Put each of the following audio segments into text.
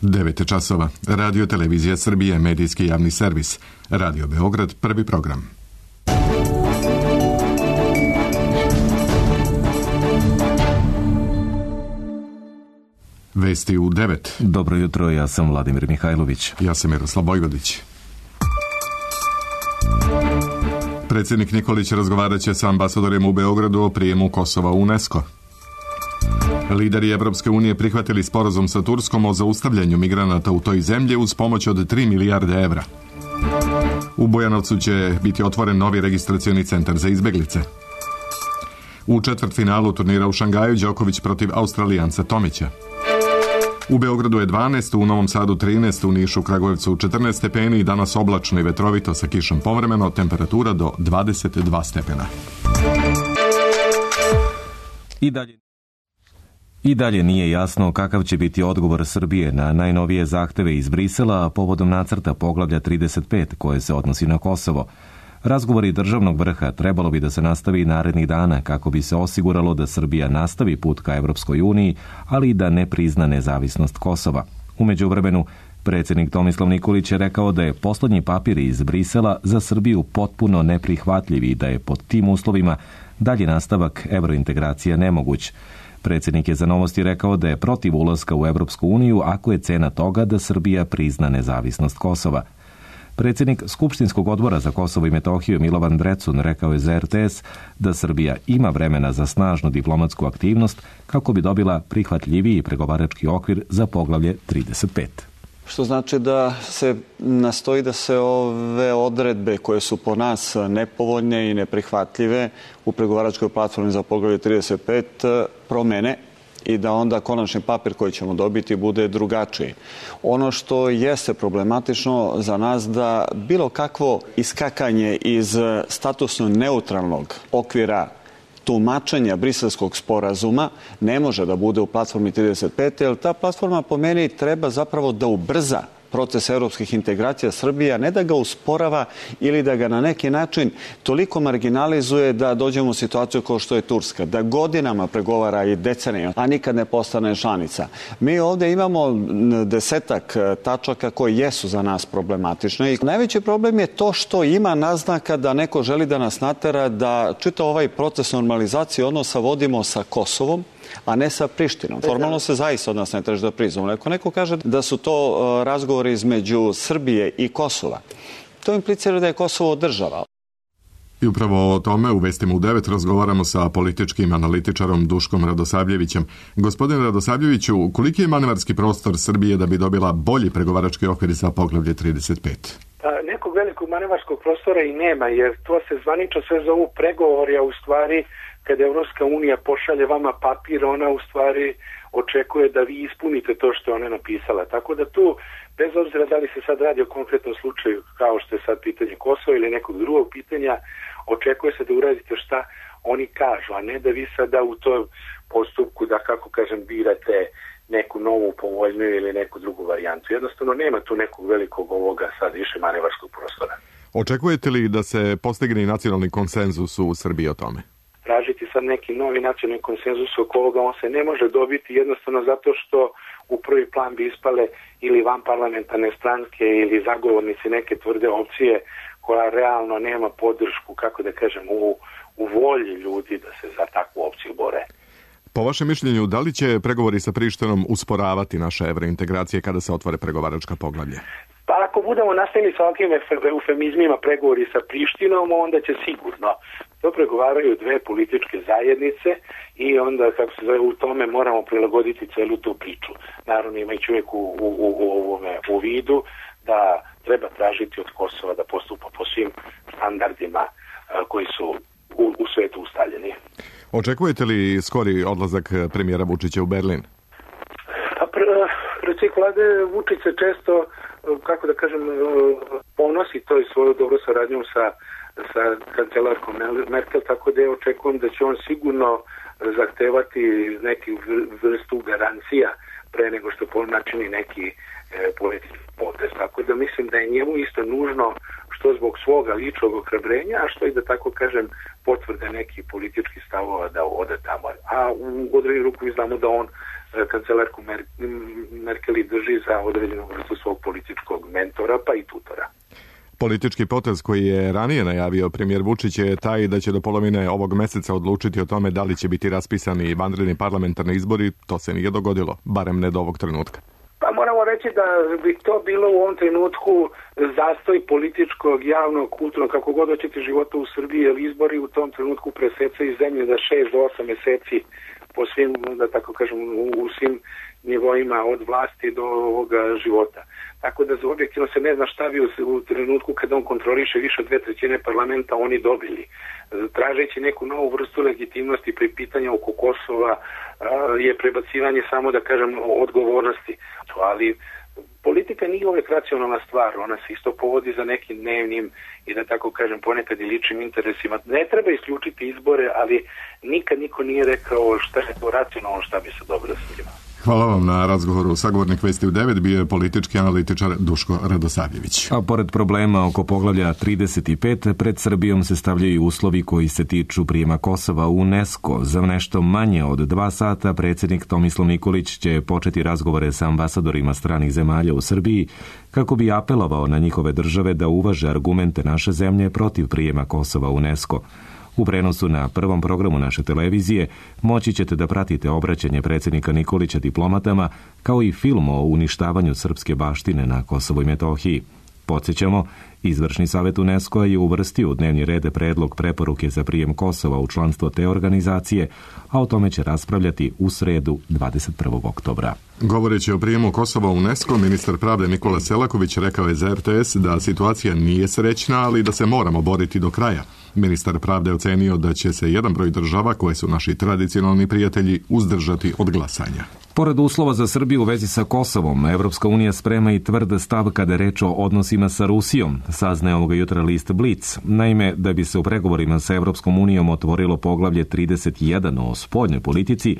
9 časova. Radio Televizija Srbije, medijski javni servis. Radio Beograd, prvi program. Vesti u 9. Dobro jutro, ja sam Vladimir Mihajlović. Ja sam Miroslav Bojgodić. Predsjednik Nikolić razgovarat će sa ambasadorima u Beogradu o prijemu Kosova u UNESCO. Lideri Evropske unije prihvatili sporazum sa Turskom o zaustavljanju migranata u toj zemlji uz pomoć od 3 milijarde evra. U Bujanovcu će biti otvoren novi registracioni centar za izbeglice. U četvrtfinalu turnira u Šangaju Đoković protiv Australijanca Tomića. U Beogradu je 12, u Novom Sadu 13, u Nišu, Kragujevcu 14 stepeni i danas oblačno i vetrovito sa kišom povremeno, temperatura do 22 stepena. I dalje nije jasno kakav će biti odgovor Srbije na najnovije zahteve iz Brisela povodom nacrta poglavlja 35 koje se odnosi na Kosovo. Razgovori državnog vrha trebalo bi da se nastavi narednih dana kako bi se osiguralo da Srbija nastavi put ka Evropskoj uniji, ali i da ne prizna nezavisnost Kosova. U međuvremenu, predsjednik Tomislav Nikolić je rekao da je poslednji papir iz Brisela za Srbiju potpuno neprihvatljiv i da je pod tim uslovima dalji nastavak evrointegracije nemoguć. Predsjednik je za Novosti rekao da je protiv ulaska u Evropsku uniju ako je cena toga da Srbija prizna nezavisnost Kosova. Predsjednik Skupštinskog odbora za Kosovo i Metohiju Milovan Drecun rekao je za RTS da Srbija ima vremena za snažnu diplomatsku aktivnost kako bi dobila prihvatljiviji pregovarački okvir za poglavlje 35. Što znači da se nastoji da se ove odredbe koje su po nas nepovoljne i neprihvatljive u pregovaračkoj platformi za poglavlje 35 promene i da onda konačni papir koji ćemo dobiti bude drugačiji. Ono što jeste problematično za nas da bilo kakvo iskakanje iz statusno neutralnog okvira tumačenja briselskog sporazuma ne može da bude u platformi 35, jer ta platforma po meni treba zapravo da ubrza proces evropskih integracija Srbije, a ne da ga usporava ili da ga na neki način toliko marginalizuje da dođemo u situaciju kao što je Turska, da godinama pregovara i decenijama, a nikad ne postane članica. Mi ovdje imamo desetak tačaka koji jesu za nas problematične i najveći problem je to što ima naznaka da neko želi da nas natera da čitav ovaj proces normalizacije odnosa vodimo sa Kosovom, a ne sa Prištinom. Formalno se zaista od nas ne traži da priznamo. Ako neko kaže da su to razgovori između Srbije i Kosova, to implicira da je Kosovo država. I upravo o tome u Vestima u 9 razgovaramo sa političkim analitičarom Duškom Radosavljevićem. Gospodine Radosavljeviću, koliki je manevarski prostor Srbije da bi dobila bolji pregovarački okvir za poglavlje 35? Nekog velikog manevarskog prostora i nema, jer to se zvanično sve zovu pregovori, a u stvari kada Evropska unija pošalje vama papir, ona u stvari očekuje da vi ispunite to što je ona napisala. Tako da tu, bez obzira da li se sad radi o konkretnom slučaju, kao što je sad pitanje Kosova ili nekog drugog pitanja, očekuje se da uradite šta oni kažu, a ne da vi sada u tom postupku, da kako kažem, birate neku novu, povoljniju ili neku drugu varijantu. Jednostavno nema tu nekog velikog ovoga sad više manevarskog prostora. Očekujete li da se postigne nacionalni konsenzus u Srbiji o tome? Tražiti sad neki novi nacionalni konsenzus oko ovoga, on se ne može dobiti jednostavno zato što u prvi plan bi ispale ili vanparlamentarne stranke ili zagovornici neke tvrde opcije koja realno nema podršku, kako da kažem, u volji ljudi da se za takvu opciju bore. Po vašem mišljenju, da li će pregovori sa Prištinom usporavati naše evrointegracije kada se otvore pregovaračka poglavlje? Pa ako budemo nastavili sa ovakvim eufemizmima pregovori sa Prištinom, onda će sigurno. To pregovaraju dve političke zajednice i onda, kako se zove, u tome moramo prilagoditi celu tu priču. Naravno, imajući uvijek u vidu da treba tražiti od Kosova da postupa po svim standardima koji su u svetu ustaljeni. Očekujete li skori odlazak premijera Vučića u Berlin? Predsjednik vlade Vučić se često, kako da kažem, ponosi to i svoju dobru saradnjom sa kancelarkom Merkel, tako da očekujem da će on sigurno zahtevati neki vrstu garancija pre nego što načini neki politički potez. Tako da mislim da je njemu isto nužno što zbog svoga ličnog ohrabrenja, a što i da tako kažem potvrde neki politički stavova da ode tamo. A u određenu ruku znamo da on kancelarku Merkeli drži za određenu vrstu svog političkog mentora pa i tutora. Politički potez koji je ranije najavio premijer Vučić je taj da će do polovine ovog meseca odlučiti o tome da li će biti raspisani vanredni parlamentarni izbori. To se nije dogodilo, barem ne do ovog trenutka. Pa moramo reći da bi to bilo u ovom trenutku zastoj političkog, javnog, kulturnog, kako god hoćete života u Srbiji, jer izbori u tom trenutku presecaju zemlje za 6 do 8 meseci po svim, da tako kažem, u svim nivoima od vlasti do ovoga života. Tako da objektivno se ne zna šta bi u trenutku kada on kontroliše više od 2/3 parlamenta oni dobili. Tražeći neku novu vrstu legitimnosti pri pitanja oko Kosova je prebacivanje samo, da kažem, odgovornosti. Ali politika nije uvek racionalna stvar, ona se isto povodi za nekim dnevnim i da tako kažem ponekad i ličnim interesima. Ne treba isključiti izbore, ali nikad niko nije rekao šta je to racionalno, šta bi se dobro svima. Hvala vam na razgovoru. Sagovornik Vesti u 9 bio je politički analitičar Duško Radosavljević. A pored problema oko poglavlja 35, pred Srbijom se stavljaju uslovi koji se tiču prijema Kosova u UNESCO. Za nešto manje od 2 sata predsjednik Tomislav Nikolić će početi razgovore sa ambasadorima stranih zemalja u Srbiji kako bi apelovao na njihove države da uvaže argumente naše zemlje protiv prijema Kosova u UNESCO. U prenosu na prvom programu naše televizije moći ćete da pratite obraćanje predsjednika Nikolića diplomatama, kao i film o uništavanju srpske baštine na Kosovu i Metohiji. Podsjećamo, Izvršni savjet UNESCO je uvrstio u dnevni red predlog preporuke za prijem Kosova u članstvo te organizacije, a o tome će raspravljati u sredu 21. oktobra. Govoreći o prijemu Kosova u UNESCO, ministar pravde Nikola Selaković rekao je za RTS da situacija nije srećna, ali da se moramo boriti do kraja. Ministar pravde ocenio da će se jedan broj država, koje su naši tradicionalni prijatelji, uzdržati od glasanja. Pored uslova za Srbiju u vezi sa Kosovom, Evropska unija sprema i tvrd stav kada je reč o odnosima sa Rusijom, saznaje ovoga jutra list Blic. Naime, da bi se u pregovorima sa Evropskom unijom otvorilo poglavlje 31 o spoljnoj politici,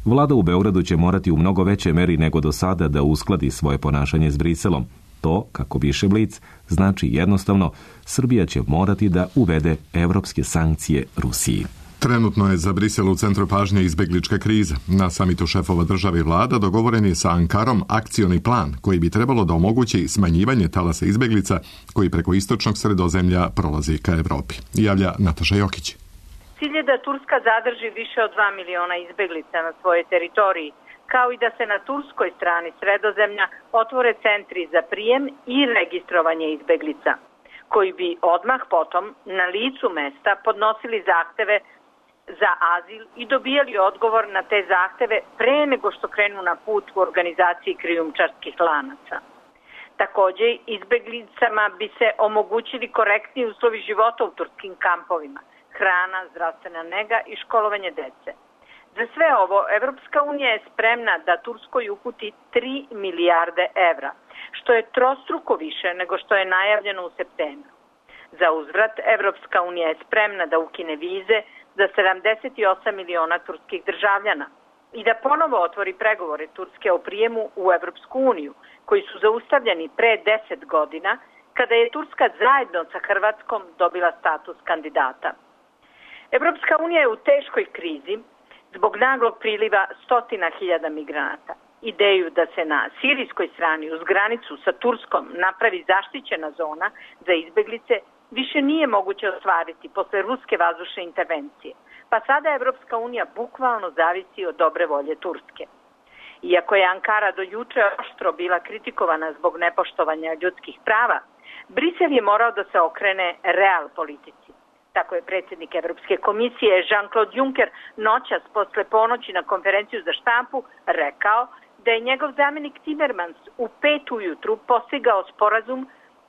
vlada u Beogradu će morati u mnogo većoj meri nego do sada da uskladi svoje ponašanje s Briselom. To, kako piše Blic, znači jednostavno Srbija će morati da uvede evropske sankcije Rusiji. Trenutno je za Brisel u centru pažnje izbeglička kriza. Na samitu šefova države i vlada dogovoren je sa Ankarom akcioni plan koji bi trebalo da omogući smanjivanje talasa izbeglica koji preko istočnog Sredozemlja prolazi ka Evropi. Javlja Nataša Jokić. Cilj je da Turska zadrži više od 2 miliona izbeglica na svojoj teritoriji, kao i da se na turskoj strani Sredozemlja otvore centri za prijem i registrovanje izbeglica, koji bi odmah potom na licu mesta podnosili zahteve za azil i dobijali odgovor na te zahteve pre nego što krenu na put u organizaciji krijumčarskih lanaca. Takođe, izbeglicama bi se omogućili korektni uslovi života u turskim kampovima, hrana, zdravstvena nega i školovanje dece. Za sve ovo, Evropska unija je spremna da Turskoj uputi 3 milijarde evra, što je trostruko više nego što je najavljeno u septembru. Za uzvrat, Evropska unija je spremna da ukine vize za 78 miliona turskih državljana i da ponovo otvori pregovore Turske o prijemu u Evropsku uniju, koji su zaustavljeni pre 10 godina, kada je Turska zajedno sa Hrvatskom dobila status kandidata. Evropska unija je u teškoj krizi zbog naglog priliva 100.000 migranata. Ideju da se na sirijskoj strani uz granicu sa Turskom napravi zaštićena zona za izbeglice više nije moguće ostvariti posle ruske vazdušne intervencije, pa sada Evropska unija bukvalno zavisi od dobre volje Turske. Iako je Ankara do juče oštro bila kritikovana zbog nepoštovanja ljudskih prava, Brisel je morao da se okrene real politici. Tako je predsjednik Evropske komisije Jean-Claude Juncker noćas posle ponoći na konferenciju za štampu rekao da je njegov zamjenik Timmermans u 5 ujutru postigao sporazum,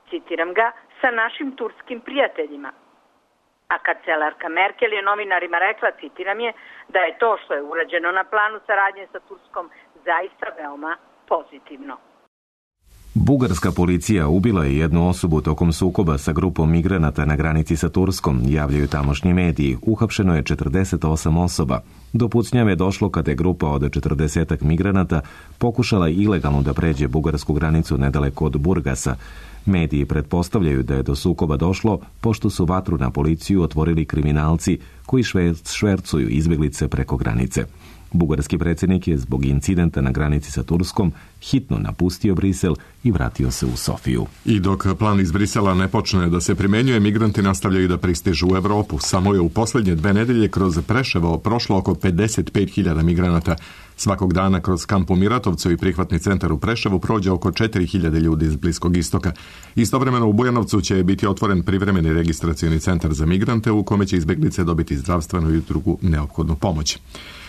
citiram ga, sa našim turskim prijateljima. A kancelarka Merkel je novinarima rekla, citiram je, da je to što je urađeno na planu saradnje sa Turskom zaista veoma pozitivno. Bugarska policija ubila je jednu osobu tokom sukoba sa grupom migranata na granici sa Turskom, javljaju tamošnji mediji. Uhapšeno je 48 osoba. Do pucnjave je došlo kada je grupa od 40 migranata pokušala ilegalno da pređe bugarsku granicu nedaleko od Burgasa. Mediji pretpostavljaju da je do sukoba došlo pošto su vatru na policiju otvorili kriminalci koji švercuju izbjeglice preko granice. Bugarski predsjednik je zbog incidenta na granici sa Turskom hitno napustio Brisel i vratio se u Sofiju. I dok plan iz Brisela ne počne da se primjenjuje, migranti nastavljaju da pristižu u Evropu. Samo je u posljednje 2 nedelje kroz Preševo prošlo oko 55.000 migranata. Svakog dana kroz kamp u Miratovcu i prihvatni centar u Preševu prođe oko 4.000 ljudi iz Bliskog istoka. Istovremeno u Bujanovcu će biti otvoren privremeni registracioni centar za migrante u kome će izbjeglice dobiti zdravstvenu i drugu neophodnu pomoć.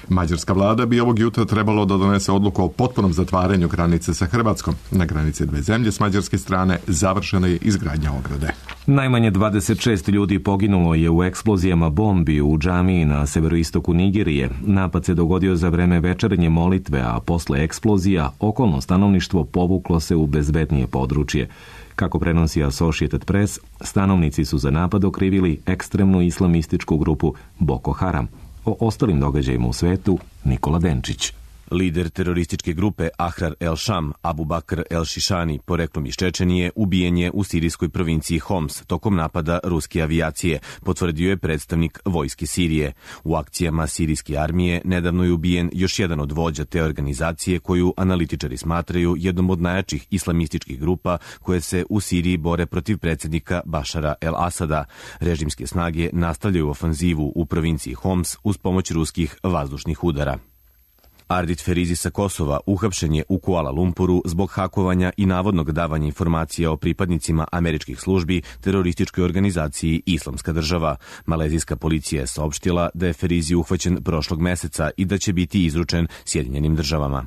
Mađarska vlada bi ovog jutra trebalo da donese odluku o potpunom zatvaranju granice sa Hrvatskom. Na granici dve zemlje s mađarske strane završena je izgradnja ograde. Najmanje 26 ljudi poginulo je u eksplozijama bombi u džamiji na severoistoku Nigerije. Napad se dogodio za vreme večernje molitve, a posle eksplozija okolno stanovništvo povuklo se u bezbednije područje. Kako prenosi Associated Press, stanovnici su za napad okrivili ekstremnu islamističku grupu Boko Haram. O ostalim događajima u svetu Nikola Denčić. Lider terorističke grupe Ahrar el-Sham, Abu Bakr el-Šišani, poreklom iz Čečenije, ubijen je u sirijskoj provinciji Homs tokom napada ruske avijacije, potvrdio je predstavnik vojske Sirije. U akcijama sirijske armije nedavno je ubijen još jedan od vođa te organizacije koju analitičari smatraju jednom od najjačih islamističkih grupa koje se u Siriji bore protiv predsjednika Bašara el-Asada. Režimske snage nastavljaju ofanzivu u provinciji Homs uz pomoć ruskih vazdušnih udara. Ardit Ferizi sa Kosova uhapšen je u Kuala Lumpuru zbog hakovanja i navodnog davanja informacija o pripadnicima američkih službi terorističkoj organizaciji Islamska država. Malezijska policija je saopštila da je Ferizi uhvaćen prošlog meseca i da će biti izručen Sjedinjenim državama.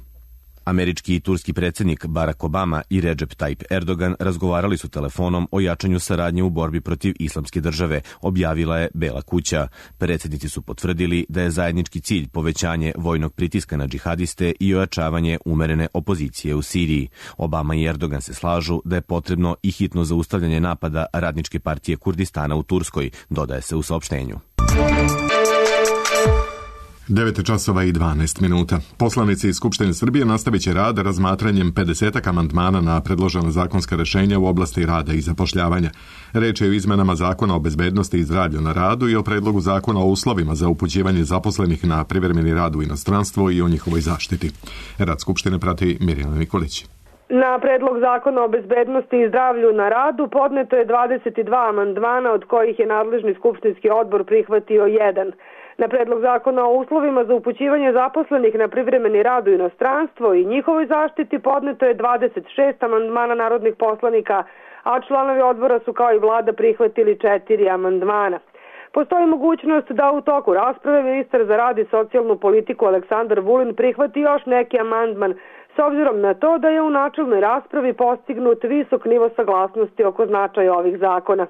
Američki i turski predsjednik Barack Obama i Recep Tayyip Erdogan razgovarali su telefonom o jačanju saradnje u borbi protiv Islamske države, objavila je Bela kuća. Predsjednici su potvrdili da je zajednički cilj povećanje vojnog pritiska na džihadiste i ojačavanje umerene opozicije u Siriji. Obama i Erdogan se slažu da je potrebno i hitno zaustavljanje napada Radničke partije Kurdistana u Turskoj, dodaje se u saopštenju. 9:12. Poslanici iz Skupštine Srbije nastavit će rad razmatranjem 50 amandmana na predložena zakonska rešenja u oblasti rada i zapošljavanja. Reč je o izmenama Zakona o bezbednosti i zdravlju na radu i o predlogu Zakona o uslovima za upućivanje zaposlenih na privremeni rad u inostranstvo i o njihovoj zaštiti. Rad Skupštine prati Mirjana Nikolić. Na predlog Zakona o bezbednosti i zdravlju na radu podneto je 22 amandmana, od kojih je nadležni skupštinski odbor prihvatio jedan. Na predlog Zakona o uslovima za upućivanje zaposlenih na privremeni rad u inostranstvo i njihovoj zaštiti podneto je 26 amandmana narodnih poslanika, a članovi odbora su kao i vlada prihvatili 4 amandmana. Postoji mogućnost da u toku rasprave ministar za rad i socijalnu politiku Aleksandar Vulin prihvati još neki amandman, s obzirom na to da je u načelnoj raspravi postignut visok nivo saglasnosti oko značaja ovih zakona.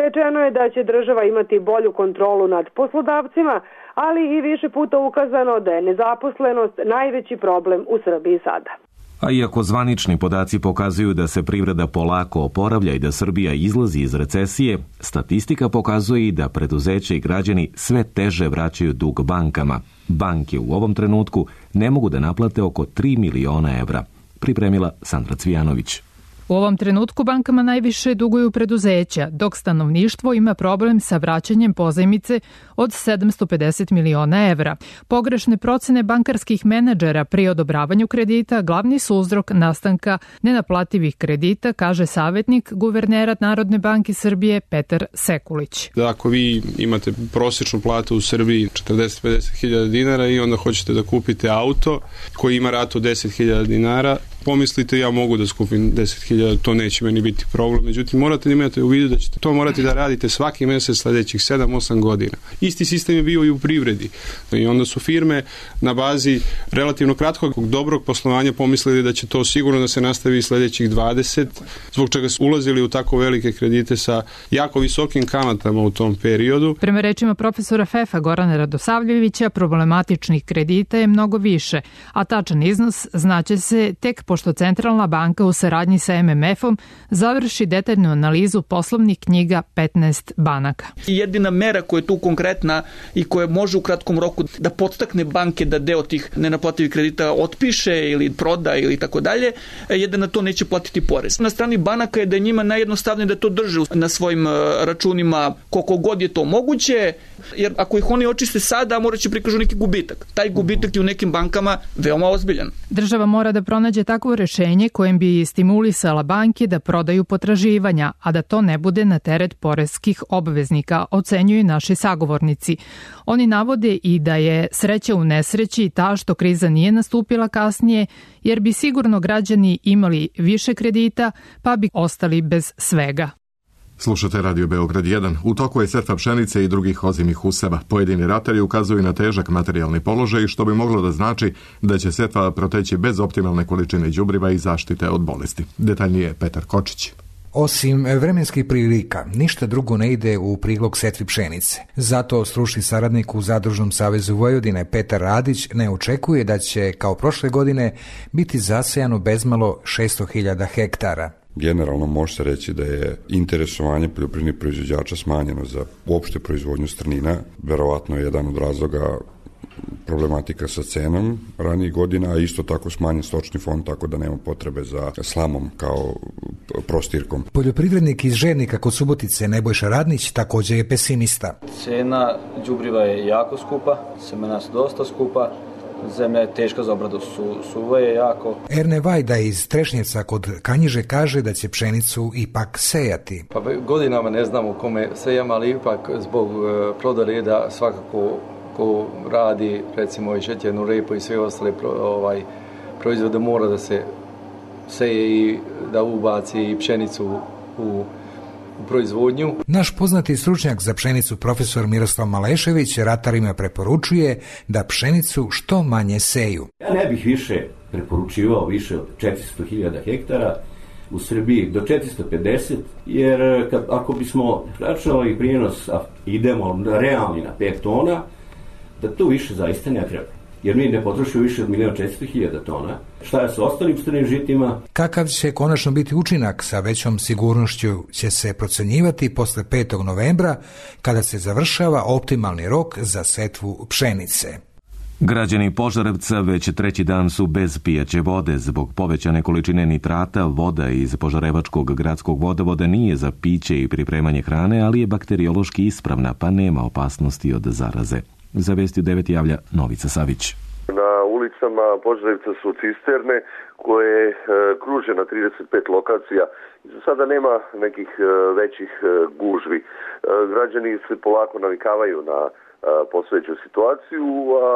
Rečeno je da će država imati bolju kontrolu nad poslodavcima, ali i više puta ukazano da je nezaposlenost najveći problem u Srbiji sada. A iako zvanični podaci pokazuju da se privreda polako oporavlja i da Srbija izlazi iz recesije, statistika pokazuje i da preduzeća i građani sve teže vraćaju dug bankama. Banke u ovom trenutku ne mogu da naplate oko 3 miliona evra. Pripremila Sandra Cvijanović. U ovom trenutku bankama najviše duguju preduzeća, dok stanovništvo ima problem sa vraćanjem pozajmice od 750 miliona evra. Pogrešne procene bankarskih menadžera pri odobravanju kredita glavni su uzrok nastanka nenaplativih kredita, kaže savjetnik guvernera Narodne banke Srbije Petar Sekulić. Ako vi imate prosječnu platu u Srbiji 40-50 hiljada dinara i onda hoćete da kupite auto koji ima ratu 10 hiljada dinara, pomislite ja mogu da skupim 10.000, to neće meni biti problem. Međutim, morate imati u vidu da ćete to morati da radite svaki mjesec sljedećih 7-8 godina. Isti sistem je bio i u privredi. I onda su firme na bazi relativno kratkog dobrog poslovanja pomislili da će to sigurno da se nastavi sljedećih 20, zbog čega su ulazili u tako velike kredite sa jako visokim kamatama u tom periodu. Prema rečima profesora FEF-a Gorana Radosavljevića, problematičnih kredita je mnogo više, a tačan iznos znaće se tek po pošto Centralna banka u saradnji sa MMF-om završi detaljnu analizu poslovnih knjiga 15 banaka. Jedina mera koja je tu konkretna i koja može u kratkom roku da podstakne banke da deo tih nenaplativih kredita otpiše ili proda ili tako dalje, je da na to neće platiti porez. Na strani banaka je da je njima najjednostavnije da to drže na svojim računima koliko god je to moguće, jer ako ih oni očiste sada, morat će prikažu neki gubitak. Taj gubitak je u nekim bankama veoma ozbiljan. Država mora da pronađe takvo rešenje kojim bi stimulisala banke da prodaju potraživanja, a da to ne bude na teret poreskih obveznika, ocenjuju naši sagovornici. Oni navode i da je sreća u nesreći ta što kriza nije nastupila kasnije, jer bi sigurno građani imali više kredita, pa bi ostali bez svega. Slušate Radio Beograd 1. U toku je setva pšenice i drugih ozimih useva. Pojedini ratari ukazuju na težak materijalni položaj, što bi moglo da znači da će setva proteći bez optimalne količine đubriva i zaštite od bolesti. Detaljnije Petar Kočić. Osim vremenskih prilika, ništa drugo ne ide u prilog setvi pšenice. Zato stručni saradnik u Zadružnom savezu Vojvodine Petar Radić ne očekuje da će, kao prošle godine, biti zasejano bezmalo 600.000 hektara. Generalno može se reći da je interesovanje poljoprivrednih proizvođača smanjeno za uopšte proizvodnju strnina. Verovatno je jedan od razloga problematika sa cenom ranijih godina, a isto tako smanjen stočni fond, tako da nema potrebe za slamom kao prostirkom. Poljoprivrednik iz Žednika kod Subotice Nebojša Radnić također je pesimista. Cena đubriva je jako skupa, semena su dosta skupa, zemlja je teška za obradu, suva je jako. Erne Vajda iz Trešnjevca kod Kanjiže kaže da će pšenicu ipak sejati. Pa godinama ne znamo kome sejam, ali ipak zbog plodoreda svakako ko radi recimo i šećernu repu i sve ostale proizvode mora da se seje i da ubaci i pšenicu u proizvodnju. Naš poznati stručnjak za pšenicu profesor Miroslav Malešević ratarima preporučuje da pšenicu što manje seju. Ja ne bih više preporučivao više od 400.000 hektara, u Srbiji do 450, jer ako bismo računali prijenos, idemo realni na 5 tona, da to više zaista ne treba. Jer mi ne potrošimo više od 1.400.000 tona. Šta je sa ostalim strnim žitima? Kakav će konačno biti učinak, sa većom sigurnošću će se procenjivati posle 5. novembra, kada se završava optimalni rok za setvu pšenice. Građani Požarevca već treći dan su bez pijaće vode. Zbog povećane količine nitrata, voda iz Požarevačkog gradskog vodovoda nije za piće i pripremanje hrane, ali je bakteriološki ispravna, pa nema opasnosti od zaraze. Za Vesti 9 javlja Novica Savić. Na ulicama Požarevca su cisterne koje kruže na 35 lokacija. Za sada nema nekih većih gužvi. Građani se polako navikavaju na postojeću situaciju, a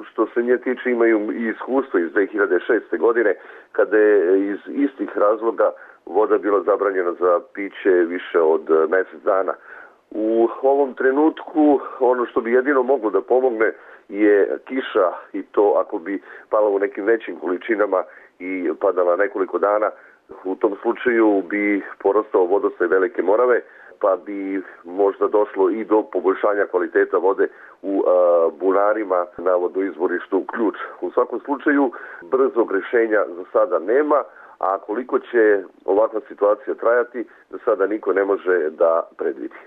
što se nje tiče imaju i iskustvo iz 2006. godine, kada je iz istih razloga voda bila zabranjena za piće više od mjesec dana. U ovom trenutku ono što bi jedino moglo da pomogne je kiša, i to ako bi pala u nekim većim količinama i padala nekoliko dana. U tom slučaju bi porastao vodostaj Velike Morave, pa bi možda došlo i do poboljšanja kvaliteta vode u bunarima na vodoizvorištu Ključ. U svakom slučaju brzog rješenja za sada nema, a koliko će ovakva situacija trajati, za sada niko ne može da predvidi.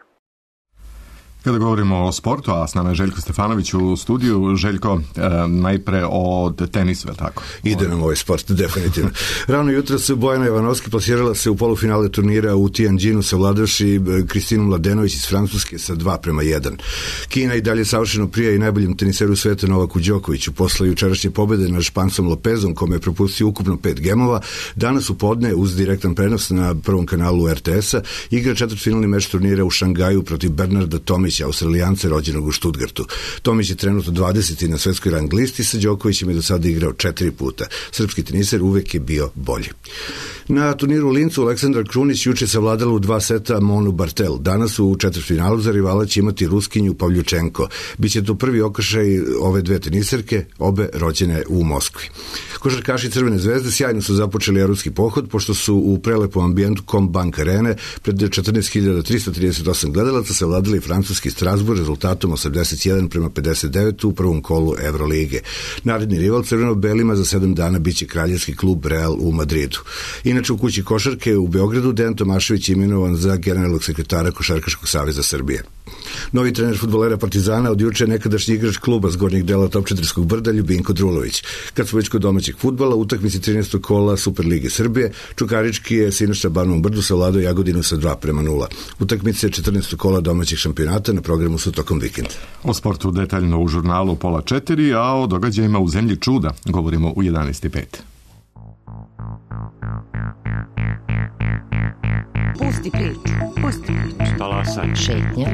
Kada govorimo o sportu, a s nama je Željko Stefanović u studiju. Željko, najpre o tenisu, je tako? Ide nam ovaj sport, definitivno. Rano jutro se Bojana Ivanovski plasirala se u polufinale turnira u Tianjinu, savladavši Kristinu Mladenović iz Francuske sa 2:1. Kina i dalje savršeno prija i najboljem teniseru sveta Novaku Đokoviću. Posle jučerašnje pobede nad Špancom Lopezom, kome je propustio ukupno 5 gemova, danas u podne uz direktan prenos na prvom kanalu RTS-a igra četvrtfinalni meč turnira u Šangaju protiv Bernarda Tomića, Australijance rođenog u Stuttgartu. Tomić je trenutno 20. na svetskoj rang listi, sa Đokovićem je do sada igrao 4 puta. Srpski teniser uvek je bio bolji. Na turniru u Lincu Aleksandar Krunić juče savladala u 2 seta Monu Bartel. Danas u četvrtfinalu za rivala će imati Ruskinju Pavljučenko. Biće to prvi okršaj ove dve teniserke, obe rođene u Moskvi. Košarkaši Crvene zvezde sjajno su započeli evropski pohod, pošto su u prelepom ambijentu Combank Arene pred 14.338 gledalaca savladali francuski Strasbourg rezultatom 81-59 u prvom kolu Evrolige. Naredni rival crveno-belima za 7 dana biće kraljevski klub Real u Madridu. Inače, u kući košarke u Beogradu Dejan Tomašević je imenovan za generalnog sekretara Košarkaškog saveza Srbije. Novi trener fudbalera Partizana od juče nekadašnji igrač kluba s gornjeg dela Topčedirskog brda Ljubinko Drulović. Kad smo već kod domaćeg fudbala, utakmici 13. kola Superlige Srbije, Čukarički je sinoć na Banovom brdu savladao Jagodinu sa 2:0. Utakmice 14. kola domaćeg šampionata na programu su tokom vikenda. O sportu detaljno u žurnalu 3:30, a o događajima u zemlji čuda govorimo u 11:05. Pusti priču. Pusti priču. Talasaj. Šetnja.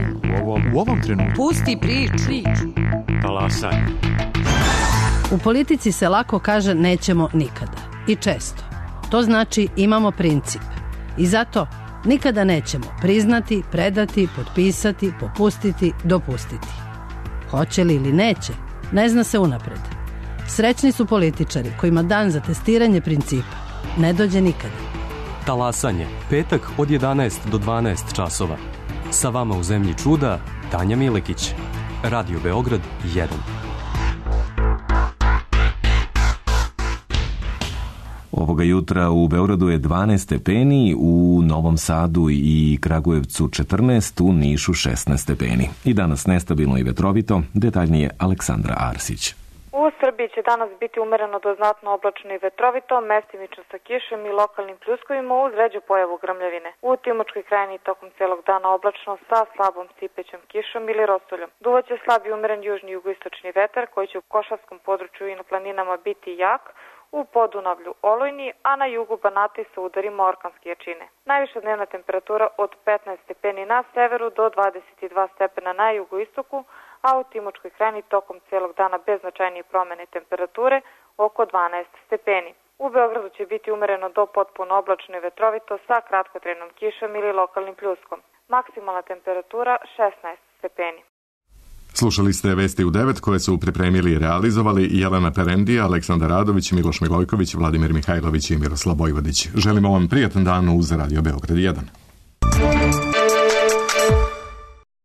U ovom trenutku. Pusti priču. Talasaj. U politici se lako kaže nećemo nikada. I često. To znači imamo princip. I zato nikada nećemo priznati, predati, potpisati, popustiti, dopustiti. Hoće li ili neće, ne zna se unapred. Srećni su političari kojima dan za testiranje principa ne dođe nikada. Talasanje, petak od 11 do 12 časova. Sa vama u zemlji čuda, Tanja Milekić. Radio Beograd 1. Ovoga jutra u Beogradu je 12 stepeni, u Novom Sadu i Kragujevcu 14, u Nišu 16 stepeni. I danas nestabilno i vetrovito, detaljnije Aleksandra Arsić. U Srbiji će danas biti umereno do znatno oblačno i vetrovito, mestimično sa kišom i lokalnim pljuskovima uz ređu pojavu grmljavine. U Timočkoj krajini tokom celog dana oblačno sa slabom sipećom kišom ili rostuljom. Duvaće slabi umeren južni jugoistočni vetar koji će u košarskom području i na planinama biti jak, u Podunavlju olujni, a na jugu Banata sa udarima orkanske jačine. Najviša dnevna temperatura od 15 stepeni na severu do 22 stepena na jugoistoku, a u Timočkoj krajini tokom celog dana bez značajnije promene temperature oko 12 stepeni. U Beogradu će biti umereno do potpuno oblačno i vetrovito sa kratkotrajnom kišom ili lokalnim pljuskom. Maksimalna temperatura 16 stepeni. Slušali ste Vesti u 9 koje su pripremili i realizovali Jelena Perendija, Aleksandar Radović, Miloš Milojković, Vladimir Mihajlović i Miroslav Bojvodić. Želimo vam prijatan dan uz Radio Beograd 1.